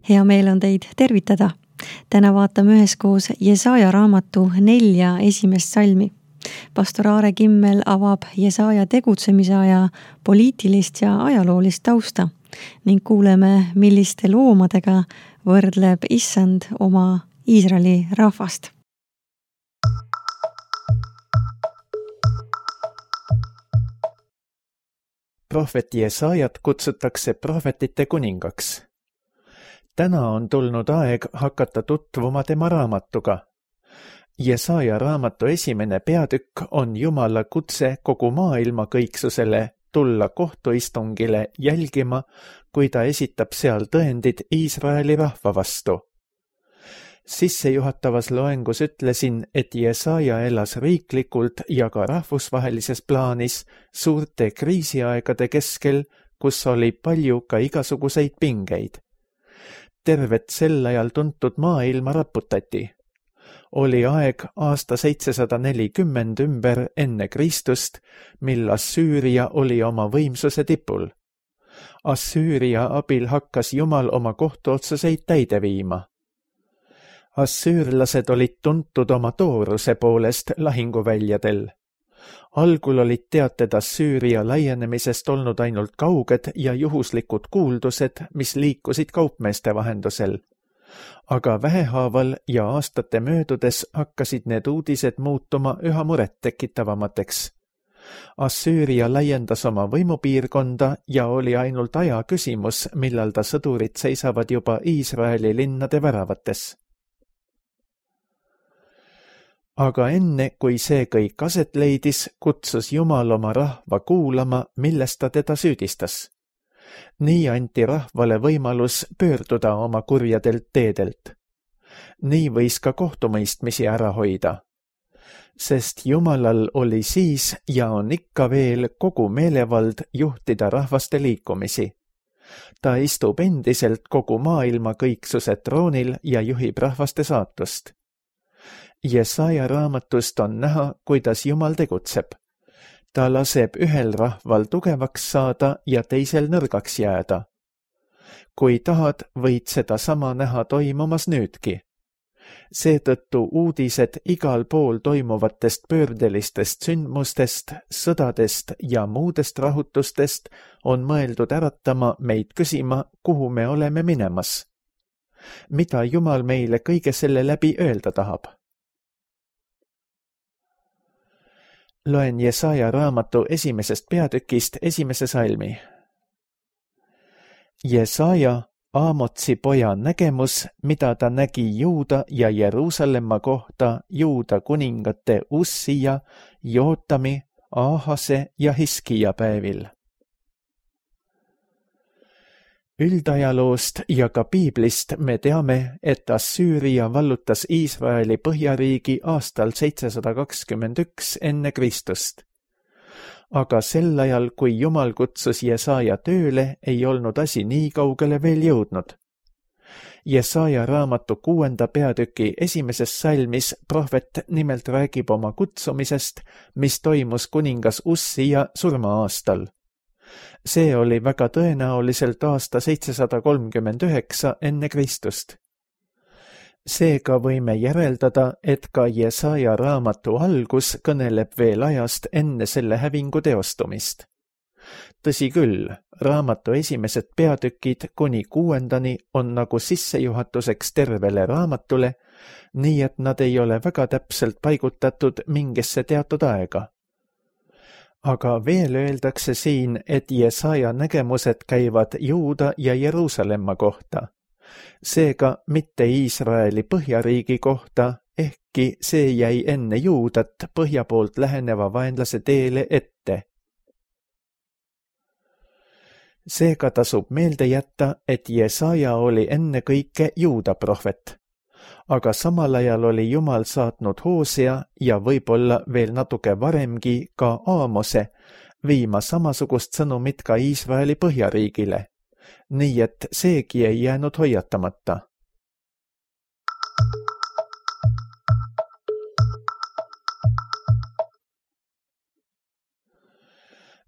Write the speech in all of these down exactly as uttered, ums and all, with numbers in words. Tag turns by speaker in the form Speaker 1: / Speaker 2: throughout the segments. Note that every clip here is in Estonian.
Speaker 1: Hea meel on teid tervitada. Täna vaatame üheskoos Jesaja raamatu nelja esimest salmi. Pastor Aare Kimmel avab Jesaja tegutsemise aja poliitilist ja ajaloolist tausta ning kuuleme, milliste loomadega võrdleb Issand oma Iisraeli rahvast.
Speaker 2: Prohvet Jesajat kutsutakse prohvetite kuningaks. Täna on tulnud aeg hakata tutvuma tema raamatuga. Jesaja raamatu esimene peatükk on Jumala kutse kogu maailma kõiksusele tulla kohtuistungile jälgima, kui ta esitab seal tõendid Iisraeli rahva vastu. Sissejuhatavas loengus ütlesin, et Jesaja elas riiklikult ja ka rahvusvahelises plaanis suurte kriisiaegade keskel, kus oli palju ka igasuguseid pingeid. Tervet sel ajal tuntud maailma raputati. Oli aeg aasta seitsesada nelikümmend ümber enne Kristust, mil Assüüria oli oma võimsuse tipul. Assüüria abil hakkas Jumal oma kohtuotsuseid täide viima. Assüürlased olid tuntud oma tooruse poolest lahinguväljadel. Algul olid teated Assüüria laienemisest olnud ainult kauged ja juhuslikud kuuldused, mis liikusid kaupmeeste vahendusel. Aga vähehaaval ja aastate möödudes hakkasid need uudised muutuma üha muret tekitavamateks. Assüüria laiendas oma võimupiirkonda ja oli ainult aja küsimus, millal ta sõdurid seisavad juba Iisraeli linnade väravates. Aga enne, kui see kõik aset leidis, kutsus Jumal oma rahva kuulama, milles ta teda süüdistas. Nii anti rahvale võimalus pöörduda oma kurjadelt teedelt. Nii võis ka kohtumõistmisi ära hoida. Sest Jumalal oli siis ja on ikka veel kogu meelevald juhtida rahvaste liikumisi. Ta istub endiselt kogu maailma kõiksuse troonil ja juhib rahvaste saatust. Jesaja raamatust on näha, kuidas Jumal tegutseb. Ta laseb ühel rahval tugevaks saada ja teisel nõrgaks jääda. Kui tahad, võid seda sama näha toimumas nüüdki. Seetõttu uudised igal pool toimuvatest pöördelistest sündmustest, sõdadest ja muudest rahutustest on mõeldud äratama meid küsima, kuhu me oleme minemas. Mida Jumal meile kõige selle läbi öelda tahab? Loen Jesaja raamatu esimesest peatükist esimese salmi. Jesaja, Aamotsi poja nägemus, mida ta nägi Juuda ja Jeruusalemma kohta Juuda kuningate Ussija, Jootami, Aahase ja Hiskija päevil. Üldajaloost ja ka Piiblist me teame, et Assüüria vallutas Iisraeli põhjariigi aastal seitsesada kakskümmend üks enne Kristust. Aga sel ajal, kui Jumal kutsus Jesaja tööle, ei olnud asi nii kaugele veel jõudnud. Jesaja raamatu kuuenda peatüki esimeses salmis prohvet nimelt räägib oma kutsumisest, mis toimus kuningas Ussija surma-aastal. See oli väga tõenäoliselt aasta seitsesada kolmkümmend üheksa enne Kristust. Seega võime järeldada, et ka Jesaja raamatu algus kõneleb veel ajast enne selle hävingu teostumist. Tõsi küll, raamatu esimesed peatükid kuni kuuendani on nagu sissejuhatuseks tervele raamatule, nii et nad ei ole väga täpselt paigutatud mingisse teatud aega. Aga veel öeldakse siin, et Jesaja nägemused käivad Juuda ja Jeruusalemma kohta. Seega mitte Iisraeli põhjariigi kohta, ehkki see jäi enne Juudat põhja poolt läheneva vaenlase teele ette. Seega tasub meelde jätta, et Jesaja oli enne kõike Juuda prohvet. Aga samal ajal oli Jumal saatnud Hoosea ja võib-olla veel natuke varemgi ka Aamose viima samasugust sõnumit ka Iisraeli põhjariigile, nii et seegi ei jäänud hoiatamata.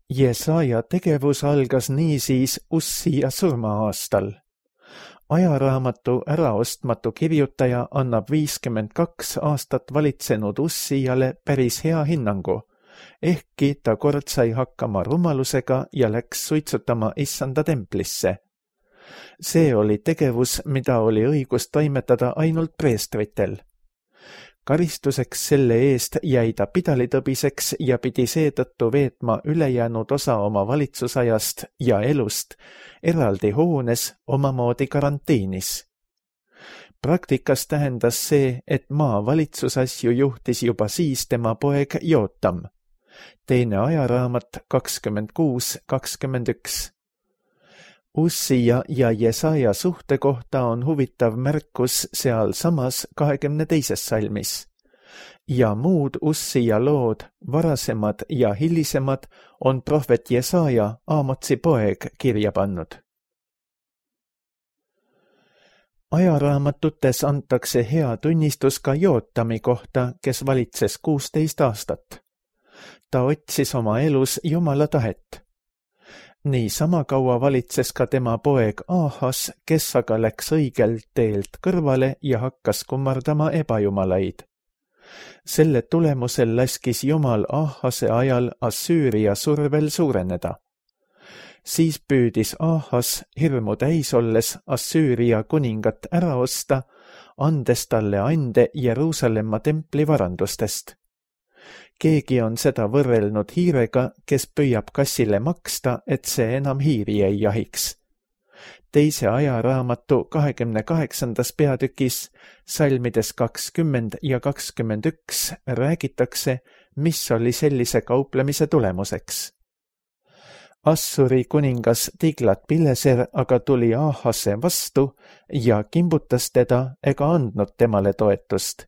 Speaker 2: Jesaja tegevus algas niisiis Ussija surma-aastal. Ajaraamatu äraostmatu kirjutaja annab viiskümmend kaks aastat valitsenud Ussijale päris hea hinnangu, ehkki ta kord sai hakkama rumalusega ja läks suitsutama issanda templisse. See oli tegevus, mida oli õigus toimetada ainult preestritel. Karistuseks selle eest jäi ta pidalitõbiseks ja pidi seetõttu veetma ülejäänud osa oma valitsusajast ja elust eraldi hoones omamoodi karantiinis. Praktikas tähendas see, et maa valitsusasju juhtis juba siis tema poeg Jootam. Teine ajaraamat kakskümmend kuus kakskümmend üks. Ussija ja Jesaja suhte kohta on huvitav märkus seal samas kahekümne teises salmis. Ja muud Ussija lood, varasemad ja hilisemad, on prohvet Jesaja, Aamotsi poeg, kirja pannud. Ajaraamatutes antakse hea tunnistus ka Jootami kohta, kes valitses kuusteist aastat. Ta otsis oma elus Jumala tahet. Nii sama kaua valitses ka tema poeg Aahas, kes aga läks õigelt teelt kõrvale ja hakkas kummardama ebajumalaid. Selle tulemusel laskis Jumal Aahase ajal Assüüria survel suureneda. Siis püüdis Aahas hirmu täis olles Assüüria kuningat ära osta, andes talle ande Jeruusalemma templi varandustest. Keegi on seda võrrelnud hiirega, kes püüab kassile maksta, et see enam hiiri ei jahiks. Teise ajaraamatu kahekümne kaheksandas peatükis, salmides kakskümmend ja kakskümmend üks, räägitakse, mis oli sellise kauplemise tulemuseks. Assuri kuningas Tiglat-Pileser aga tuli Aahase vastu ja kimbutas teda ega andnud temale toetust.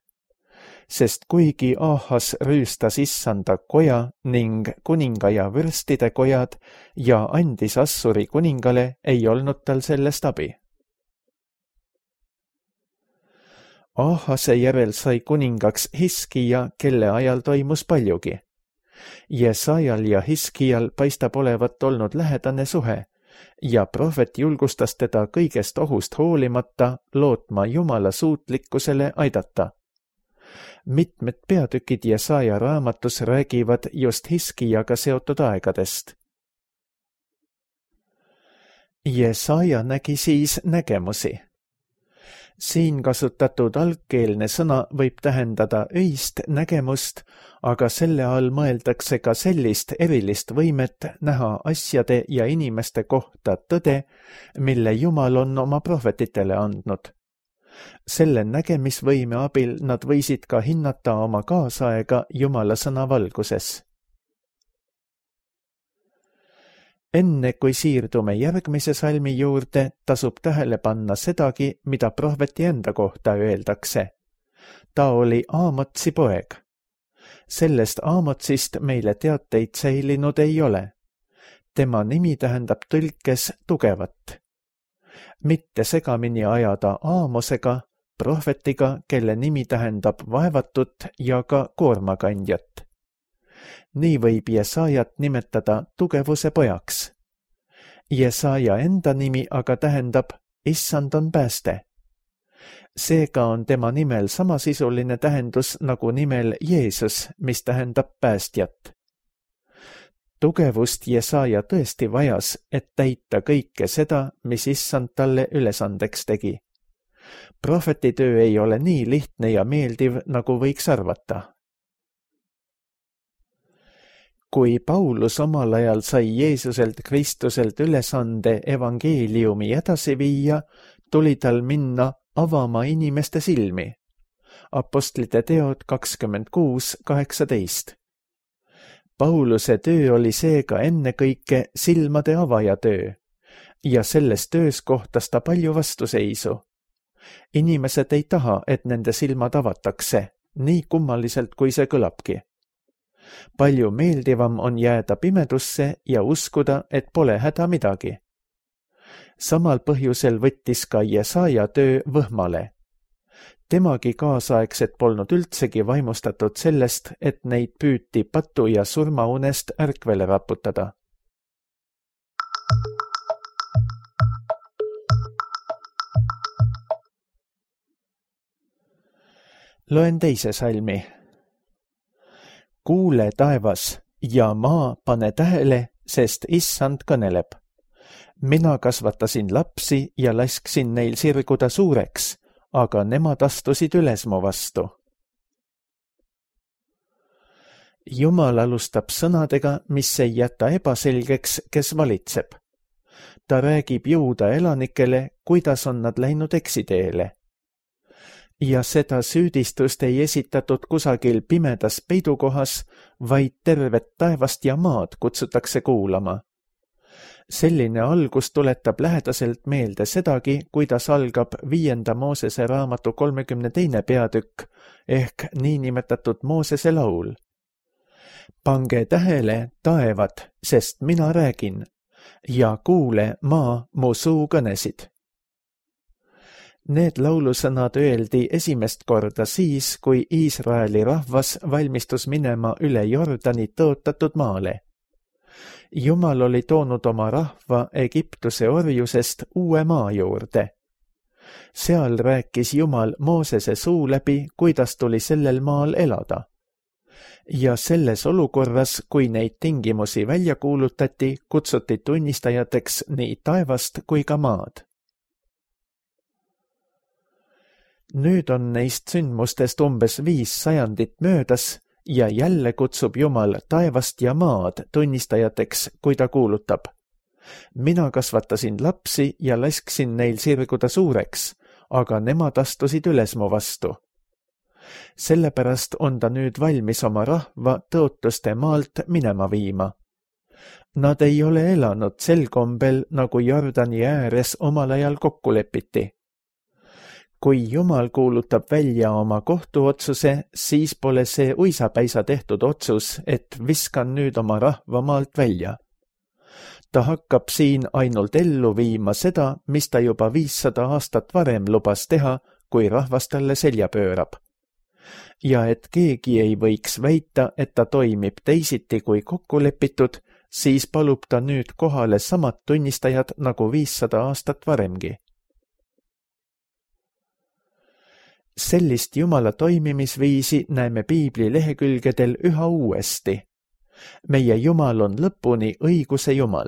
Speaker 2: Sest kuigi Aahas rüüstas issanda koja ning kuninga ja vürstide kojad ja andis Assuri kuningale, ei olnud tal sellest abi. Aahase järel sai kuningaks Hiskija, kelle ajal toimus paljugi. Jesajal ja Hiskijal paistab olevat olnud lähedane suhe ja prohvet julgustas teda kõigest ohust hoolimata lootma Jumala suutlikkusele aidata. Mitmed peatükid Jesaja raamatus räägivad just Hiskijaga seotud aegadest. Jesaja nägi siis nägemusi. Siin kasutatud algkeelne sõna võib tähendada öist nägemust, aga selle all mõeldakse ka sellist erilist võimet näha asjade ja inimeste kohta tõde, mille Jumal on oma prohvetitele andnud. Selle nägemisvõime abil nad võisid ka hinnata oma kaasaega Jumala sõna valguses. Enne kui siirdume järgmise salmi juurde, tasub tähele panna sedagi, mida prohveti enda kohta öeldakse. Ta oli Aamotsi poeg. Sellest Aamotsist meile teateid säilinud ei ole. Tema nimi tähendab tõlkes tugevat. Mitte segamini ajada Aamosega, prohvetiga, kelle nimi tähendab vaevatut ja ka koormakandjat. Nii võib Jesajat nimetada tugevuse pojaks. Jesaja enda nimi aga tähendab issand on pääste. Seega on tema nimel samasisuline tähendus nagu nimel Jeesus, mis tähendab päästjat. Tugevust Jesaja tõesti vajas, et täita kõike seda, mis issand talle ülesandeks tegi. Prohvetitöö ei ole nii lihtne ja meeldiv, nagu võiks arvata. Kui Paulus omal ajal sai Jeesuselt Kristuselt ülesande evangeeliumi edasi viia, tuli tal minna avama inimeste silmi. Apostlite teod kakskümmend kuus kaheksateist. Pauluse töö oli seega ennekõike silmade avaja töö ja selles töös kohtas ta palju vastuseisu. Inimesed ei taha, et nende silmad avatakse, nii kummaliselt kui see kõlabki. Palju meeldivam on jääda pimedusse ja uskuda, et pole häda midagi. Samal põhjusel võttis ka Jesaja töö võhmale. Temagi kaasaegsed polnud üldsegi vaimustatud sellest, et neid püüti patu ja surmaunest ärkvele raputada. Loen teise salmi. Kuule taevas ja maa, pane tähele, sest issand kõneleb. Mina kasvatasin lapsi ja lasksin neil sirguda suureks, aga nemad astusid üles mu vastu. Jumal alustab sõnadega, mis ei jäta ebaselgeks, kes valitseb. Ta räägib Juuda elanikele, kuidas on nad läinud eksiteele. Ja seda süüdistust ei esitatud kusagil pimedas peidukohas, vaid tervet taevast ja maad kutsutakse kuulama. Selline algus tuletab lähedaselt meelde sedagi, kuidas algab viienda Moosese raamatu kolmekümne teine peatükk ehk niinimetatud Moosese laul. Pange tähele, taevad, sest mina räägin, ja kuule, maa, mu suu kõnesid. Need laulusõnad öeldi esimest korda siis, kui Iisraeli rahvas valmistus minema üle Jordani tõotatud maale. Jumal oli toonud oma rahva Egiptuse orjusest uue maa juurde. Seal rääkis Jumal Moosese suu läbi, kuidas tuli sellel maal elada. Ja selles olukorras, kui neid tingimusi välja kuulutati, kutsuti tunnistajateks nii taevast kui ka maad. Nüüd on neist sündmustest umbes viis sajandit möödas ja jälle kutsub Jumal taevast ja maad tunnistajateks, kui ta kuulutab. Mina kasvatasin lapsi ja lasksin neil sirguda suureks, aga nemad astusid üles mu vastu. Sellepärast on ta nüüd valmis oma rahva tõotuste maalt minema viima. Nad ei ole elanud sel kombel, nagu Jordani ääres omal ajal kokku lepiti. Kui Jumal kuulutab välja oma kohtuotsuse, siis pole see uisapäisa tehtud otsus, et viskan nüüd oma rahva maalt välja. Ta hakkab siin ainult ellu viima seda, mis ta juba viissada aastat varem lubas teha, kui rahvas talle selja pöörab. Ja et keegi ei võiks väita, et ta toimib teisiti kui kokku lepitud, siis palub ta nüüd kohale samad tunnistajad nagu viissada aastat varemgi. Sellist Jumala toimimisviisi näeme Piibli lehekülgedel üha uuesti. Meie Jumal on lõpuni õiguse Jumal.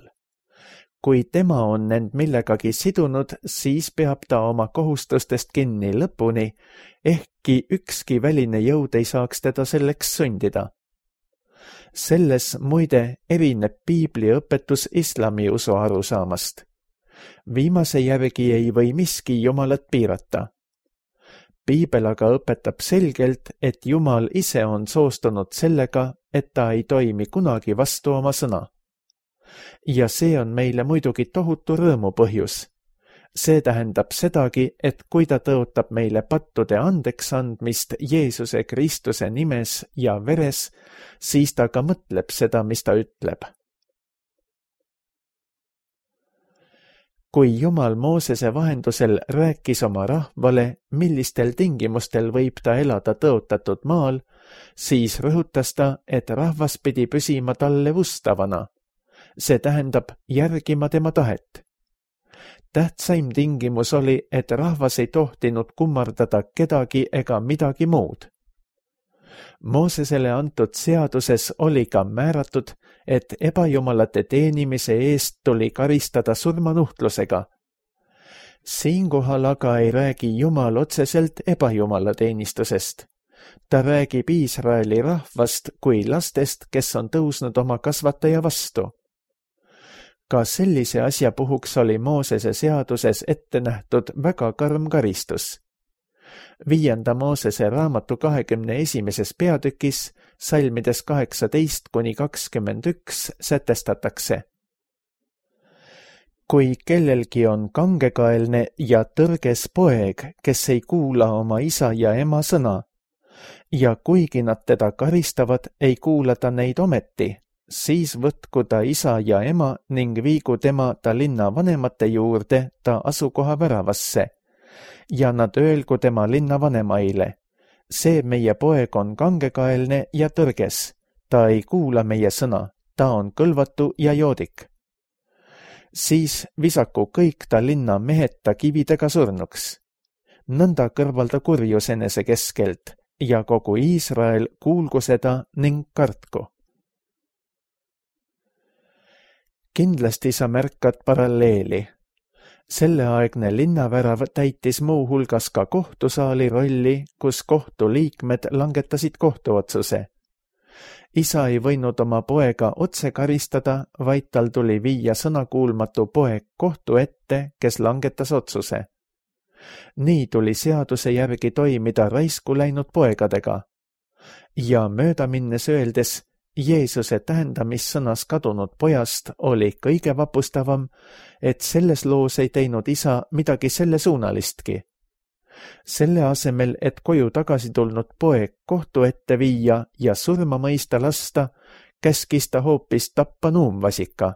Speaker 2: Kui tema on end millegagi sidunud, siis peab ta oma kohustustest kinni lõpuni, ehkki ükski väline jõud ei saaks teda selleks sundida. Selles muide erineb Piibli õpetus islami usu arusaamast. Viimase järgi ei või miski Jumalat piirata. Piibel aga õpetab selgelt, et Jumal ise on soostunud sellega, et ta ei toimi kunagi vastu oma sõna. Ja see on meile muidugi tohutu rõõmu põhjus. See tähendab sedagi, et kui ta tõotab meile pattude andeks andmist Jeesuse Kristuse nimes ja veres, siis ta ka mõtleb seda, mis ta ütleb. Kui Jumal Moosese vahendusel rääkis oma rahvale, millistel tingimustel võib ta elada tõotatud maal, siis rõhutas ta, et rahvas pidi püsima talle ustavana. See tähendab järgima tema tahet. Tähtsaim tingimus oli, et rahvas ei tohtinud kummardada kedagi ega midagi muud. Moosesele antud seaduses oli ka määratud, et ebajumalate teenimise eest tuli karistada surmanuhtlusega. Siinkohal aga ei räägi Jumal otseselt ebajumala teenistusest. Ta räägib Iisraeli rahvast kui lastest, kes on tõusnud oma kasvataja vastu. Ka sellise asja puhuks oli Moosese seaduses ette nähtud väga karm karistus. Viienda Moosese raamatu kahekümne esimeses peatükis, salmides kaheksateist kuni kakskümmend üks sätestatakse. Kui kellelgi on kangekaelne ja tõrges poeg, kes ei kuula oma isa ja ema sõna, ja kuigi nad teda karistavad, ei kuula ta neid ometi, siis võtku ta isa ja ema ning viigu tema ta linna vanemate juurde ta asukoha väravasse ja nad öelgu tema linna vanemaile. See meie poeg on kangekaelne ja tõrges, ta ei kuula meie sõna, ta on kõlvatu ja joodik. Siis visaku kõik ta linna mehed ta kividega surnuks. Nõnda kõrvalda kurjus enese keskelt ja kogu Iisrael kuulgu seda ning kartku. Kindlasti sa märkad paralleeli. Selleaegne linnavärav täitis muu hulgas ka kohtusaali rolli, kus kohtuliikmed langetasid kohtuotsuse. Isa ei võinud oma poega otse karistada, vaid tal tuli viia sõnakuulmatu poeg kohtu ette, kes langetas otsuse. Nii tuli seaduse järgi toimida raisku läinud poegadega. Ja mööda minnes öeldes, Jeesuse tähendamissõnas kadunud pojast oli kõige vapustavam, et selles loos ei teinud isa midagi sellesuunalistki. Selle asemel, et koju tagasi tulnud poeg kohtu ette viia ja surma mõista lasta, käskis ta hoopis tappa nuumvasika.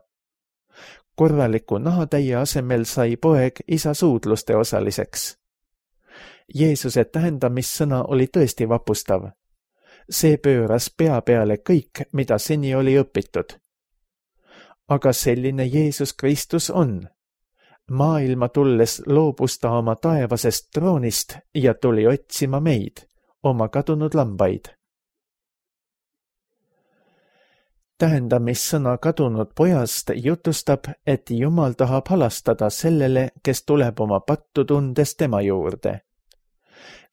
Speaker 2: Korraliku nahatäie asemel sai poeg isa suudluste osaliseks. Jeesuse tähendamissõna oli tõesti vapustav. See pööras pea peale kõik, mida seni oli õpitud. Aga selline Jeesus Kristus on. Maailma tulles loobus ta oma taevasest troonist ja tuli otsima meid, oma kadunud lambaid. Tähendamissõna kadunud pojast jutustab, et Jumal tahab halastada sellele, kes tuleb oma pattu tundes tema juurde.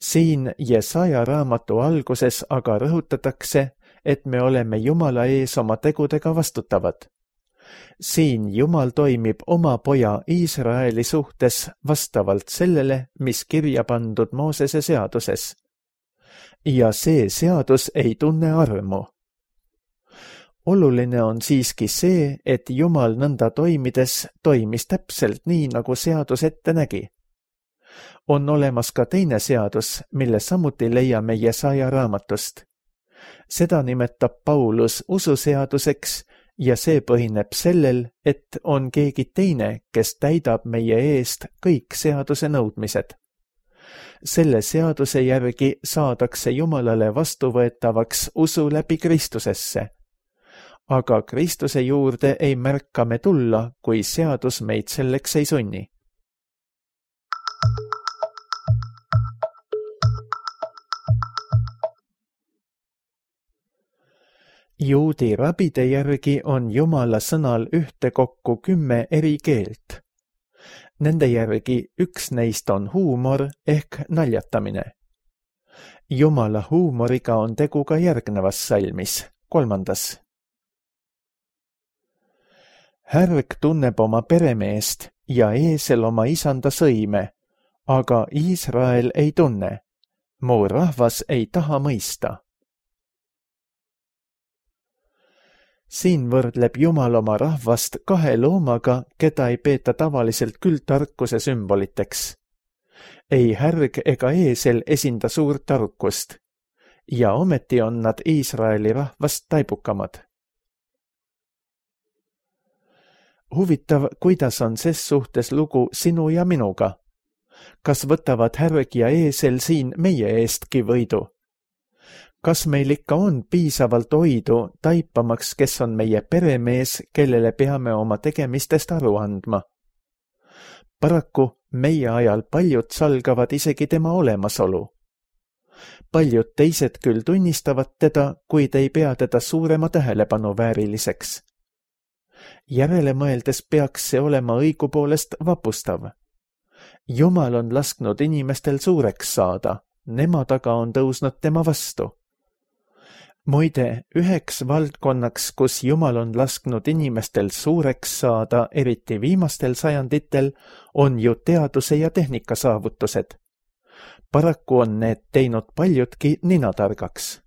Speaker 2: Siin Jesaja raamatu alguses aga rõhutatakse, et me oleme Jumala ees oma tegudega vastutavad. Siin Jumal toimib oma poja Iisraeli suhtes vastavalt sellele, mis kirja pandud Moosese seaduses. Ja see seadus ei tunne armu. Oluline on siiski see, et Jumal nõnda toimides toimis täpselt nii, nagu seadus ette nägi. On olemas ka teine seadus, mille samuti leiame Jesaja raamatust. Seda nimetab Paulus ususeaduseks ja see põhineb sellel, et on keegi teine, kes täidab meie eest kõik seaduse nõudmised. Selle seaduse järgi saadakse Jumalale vastuvõetavaks usu läbi Kristusesse. Aga Kristuse juurde ei märka me tulla, kui seadus meid selleks ei sunni. Juudi rabide järgi on Jumala sõnal ühtekokku kümme eri keelt. Nende järgi üks neist on huumor ehk naljatamine. Jumala huumoriga on tegu ka järgnevas salmis, kolmandas. Härg tunneb oma peremeest ja eesel oma isanda sõime, aga Iisrael ei tunne. Mu rahvas ei taha mõista. Siin võrdleb Jumal oma rahvast kahe loomaga, keda ei peeta tavaliselt küll tarkuse sümboliteks. Ei härg ega eesel esinda suurt tarkust, ja ometi on nad Iisraeli rahvast taibukamad. Huvitav, kuidas on ses suhtes lugu sinu ja minuga. Kas võtavad härg ja eesel siin meie eestki võidu? Kas meil ikka on piisavalt oidu taipamaks, kes on meie peremees, kellele peame oma tegemistest aru andma? Paraku meie ajal paljud salgavad isegi tema olemasolu. Paljud teised küll tunnistavad teda, kuid ei pea teda suurema tähelepanu vääriliseks. Järele mõeldes peaks see olema õigupoolest vapustav. Jumal on lasknud inimestel suureks saada, nemad aga on tõusnud tema vastu. Muide, üheks valdkonnaks, kus Jumal on lasknud inimestel suureks saada, eriti viimastel sajanditel, on ju teaduse ja tehnika saavutused. Paraku on need teinud paljudki ninatargaks.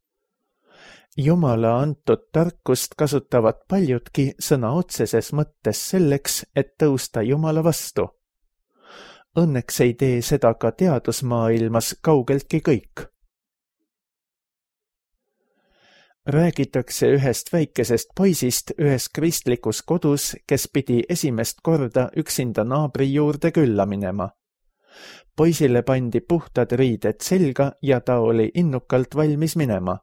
Speaker 2: Jumala antud tarkust kasutavad paljudki sõna otseses mõttes selleks, et tõusta Jumala vastu. Õnneks ei tee seda ka teadusmaailmas kaugeltki kõik. Räägitakse ühest väikesest poisist ühes kristlikus kodus, kes pidi esimest korda üksinda naabri juurde külla minema. Poisile pandi puhtad riided selga ja ta oli innukalt valmis minema.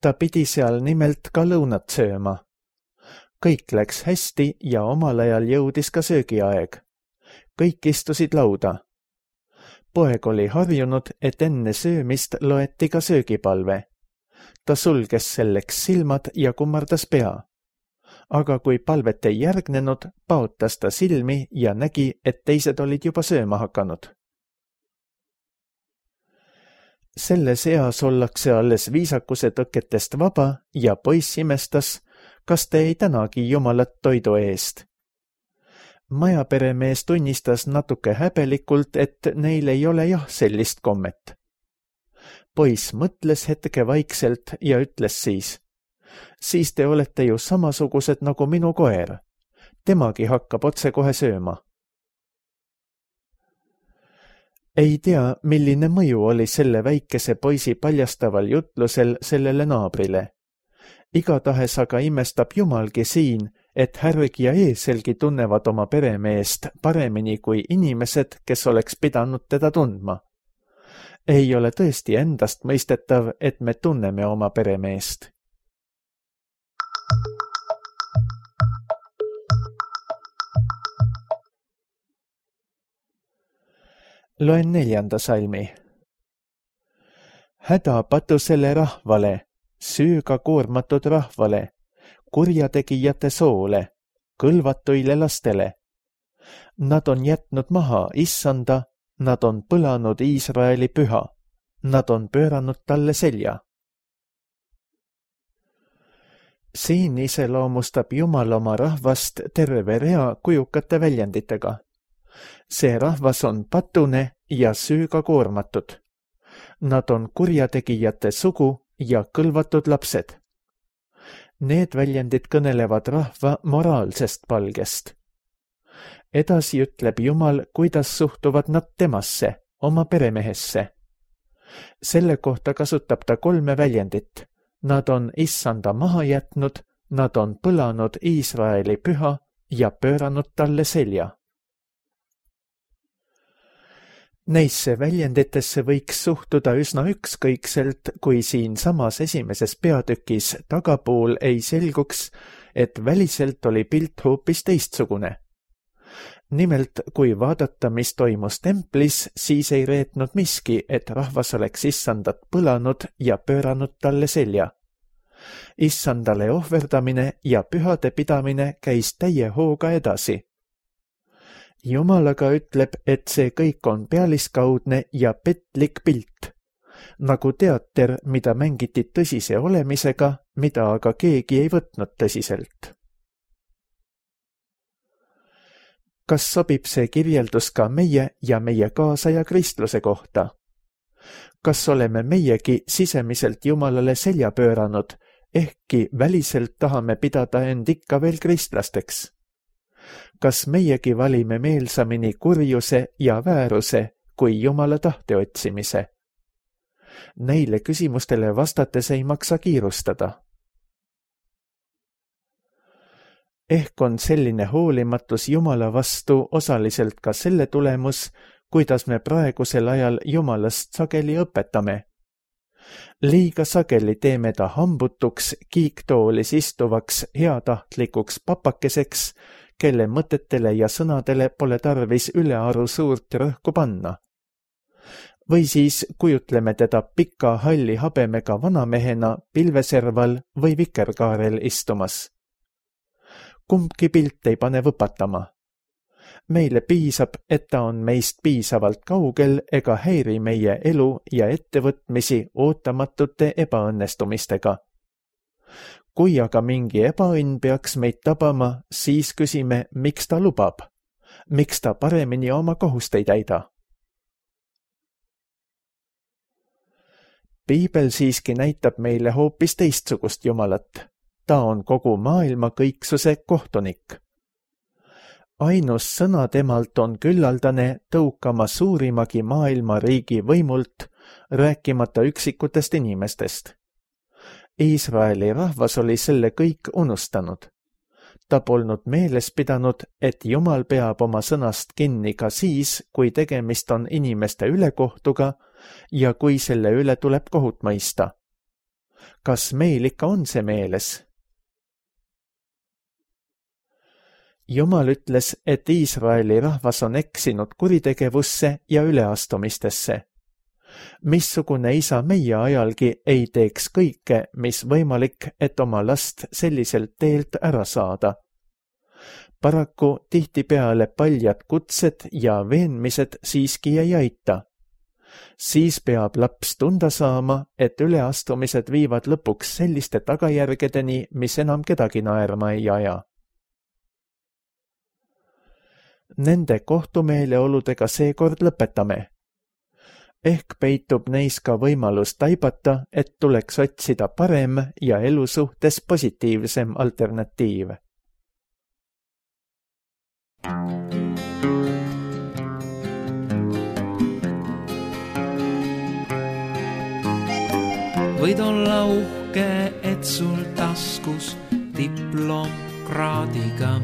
Speaker 2: Ta pidi seal nimelt ka lõunat sööma. Kõik läks hästi ja omal ajal jõudis ka söögiaeg. Kõik istusid lauda. Poeg oli harjunud, et enne söömist loeti ka söögipalve. Ta sulges selleks silmad ja kummardas pea. Aga kui palvet ei järgnenud, paotas ta silmi ja nägi, et teised olid juba sööma hakanud. Selles eas ollakse alles viisakuse tõketest vaba ja poiss imestas, kas te ei tänagi Jumalat toidu eest. Majaperemees tunnistas natuke häbelikult, et neil ei ole jah sellist kommet. Poiss mõtles hetke vaikselt ja ütles siis, siis te olete ju samasugused nagu minu koer. Temagi hakkab otse kohe sööma. Ei tea, milline mõju oli selle väikese poisi paljastaval jutlusel sellele naabrile. Igatahes aga imestab Jumalgi siin, et härg ja eeselgi tunnevad oma peremeest paremini kui inimesed, kes oleks pidanud teda tundma. Ei ole tõesti endast mõistetav, et me tunneme oma peremeest. Loen neljanda salmi. Häda patusele rahvale, süüga koormatud rahvale, kurjategijate soole, kõlvatuile lastele. Nad on jätnud maha issanda, nad on põlanud Iisraeli püha, nad on pööranud talle selja. Siin iseloomustab Jumal oma rahvast terve rea kujukate väljenditega. See rahvas on patune ja süüga koormatud. Nad on kurjategijate sugu ja kõlvatud lapsed. Need väljendid kõnelevad rahva moraalsest palgest. Edasi ütleb Jumal, kuidas suhtuvad nad temasse, oma peremehesse. Selle kohta kasutab ta kolme väljendit. Nad on issanda maha jätnud, nad on põlanud Iisraeli püha ja pööranud talle selja. Neisse väljenditesse võiks suhtuda üsna ükskõikselt, kui siin samas esimeses peatükis tagapool ei selguks, et väliselt oli pilt hoopis teistsugune. Nimelt, kui vaadata, mis toimus templis, siis ei reetnud miski, et rahvas oleks issandat põlanud ja pööranud talle selja. Issandale ohverdamine ja pühade pidamine käis täie hooga edasi. Jumal aga ütleb, et see kõik on pealiskaudne ja petlik pilt, nagu teater, mida mängiti tõsise olemisega, mida aga keegi ei võtnud tõsiselt. Kas sobib see kirjeldus ka meie ja meie kaasaja kristluse kohta? Kas oleme meiegi sisemiselt Jumalale selja pööranud, ehkki väliselt tahame pidada end ikka veel kristlasteks? Kas meiegi valime meelsamini kurjuse ja vääruse kui Jumala tahte otsimise? Neile küsimustele vastates ei maksa kiirustada. Ehk on selline hoolimatus Jumala vastu osaliselt ka selle tulemus, kuidas me praegusel ajal Jumalast sageli õpetame. Liiga sageli teeme ta hambutuks, kiiktoolis istuvaks, heatahtlikuks papakeseks, kelle mõtetele ja sõnadele pole tarvis ülearu suurt rõhku panna. Või siis kujutleme teda pika halli habemega vanamehena pilveserval või vikerkaarel istumas. Kumbki pilt ei pane võpatama. Meile piisab, et ta on meist piisavalt kaugel ega häiri meie elu ja ettevõtmisi ootamatute ebaõnnestumistega. Kui aga mingi ebaõnn peaks meid tabama, siis küsime, miks ta lubab, miks ta paremini oma kohust ei täida. Piibel siiski näitab meile hoopis teistsugust Jumalat. Ta on kogu maailma kõiksuse kohtunik. Ainus sõna temalt on küllaldane tõukama suurimagi maailma riigi võimult, rääkimata üksikutest inimestest. Iisraeli rahvas oli selle kõik unustanud. Ta polnud meeles pidanud, et Jumal peab oma sõnast kinni ka siis, kui tegemist on inimeste ülekohtuga ja kui selle üle tuleb kohut mõista. Kas meil ikka on see meeles? Jumal ütles, et Iisraeli rahvas on eksinud kuritegevusse ja üleastumistesse. Missugune isa meie ajalgi ei teeks kõike, mis võimalik, et oma last selliselt teelt ära saada. Paraku tihtipeale paljad kutsed ja veenmised siiski ei aita. Siis peab laps tunda saama, et üleastumised viivad lõpuks selliste tagajärgedeni, mis enam kedagi naerma ei aja. Nende kohtumeeleoludega seekord lõpetame. Ehk peitub neis ka võimalus taibata, et tuleks otsida parem ja elu suhtes positiivsem alternatiiv.
Speaker 3: Võid olla uhke, et sul taskus diplomkraadiga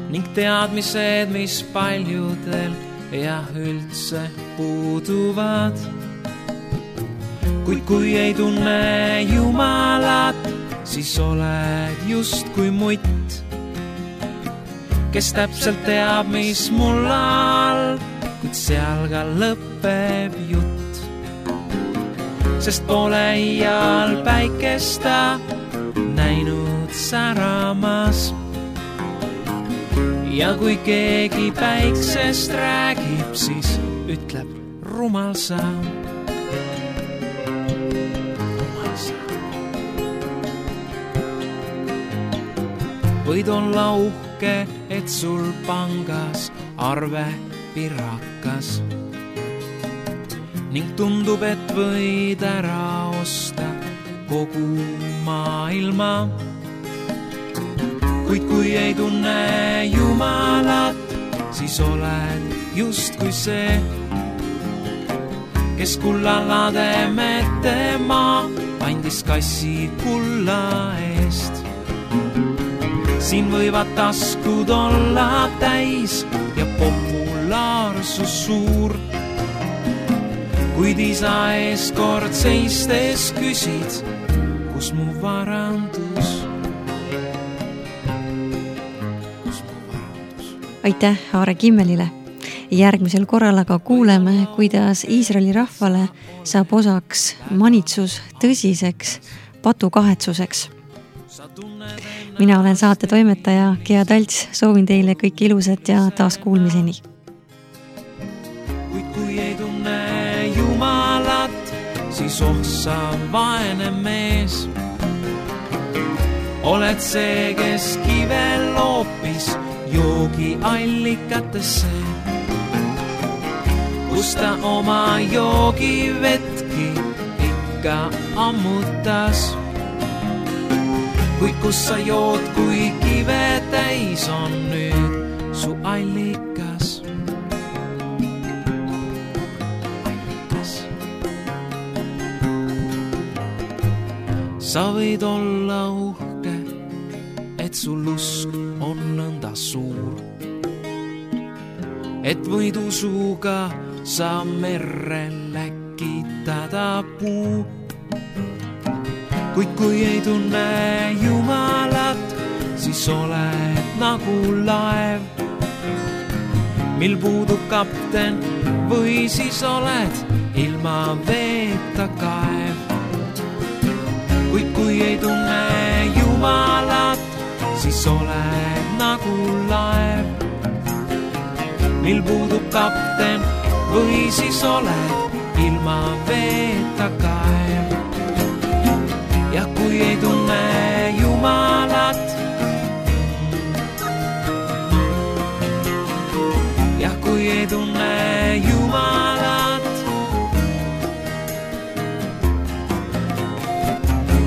Speaker 3: ning teadmised, mis paljudel ja üldse puuduvad. Kuid kui ei tunne Jumalat, siis oled just kui mutt, kes täpselt teab, mis mul all, kuid seal ka lõpeb jutt. Sest pole iial päikesta näinud säramas. Ja kui keegi päiksest räägib, siis ütleb rumal sa. Rumal sa. Võid olla uhke, et sul pangas arve pirakas ning tundub, et võid ära osta kogu maailma. Kuid kui ei tunne Jumalat, siis oled just kui see, kes kullalade mette maa andis kassi kulla eest. Siin võivad taskud olla täis ja populaarsus suur, kuid isa ees kord seistes küsid, kus mu varandus.
Speaker 1: Aitäh Aare Kimmelile. Järgmisel korral aga kuuleme, kuidas Iisraeli rahvale saab osaks manitsus tõsiseks patukahetsuseks. Mina olen saate toimetaja Gea Talts, soovin teile kõik ilusat ja taas kuulmiseni.
Speaker 3: Kuid kui ei tunne Jumalat, siis ohsa vaene mees. Oled see, kes kivel loopis joogi allikatesse, kus ta oma joogi vetki ikka ammutas. Kuid kus sa jood, kui kive täis on nüüd su allikas. Allikas. Sa võid olla uhke, et sul usk on nõnda suur, et võid usuga sa merre läkitada puu. Kuid kui ei tunne Jumalat, siis oled nagu laev, mil puudub kapten, või siis oled ilma veeta kaev. Kuid kui ei tunne Jumalat, siis oled nagu laev, mil puudub kapten, või siis oled ilma veeta kaev. Ja kui ei tunne Jumalat, ja kui ei tunne Jumalat,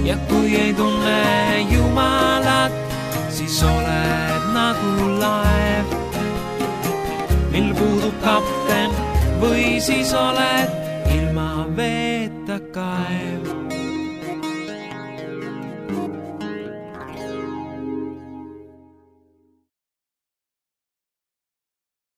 Speaker 3: ja kui ei tunne Jumalat, siis oled nagu laev, mil puudub kapten, või siis oled ilma veeta kaev.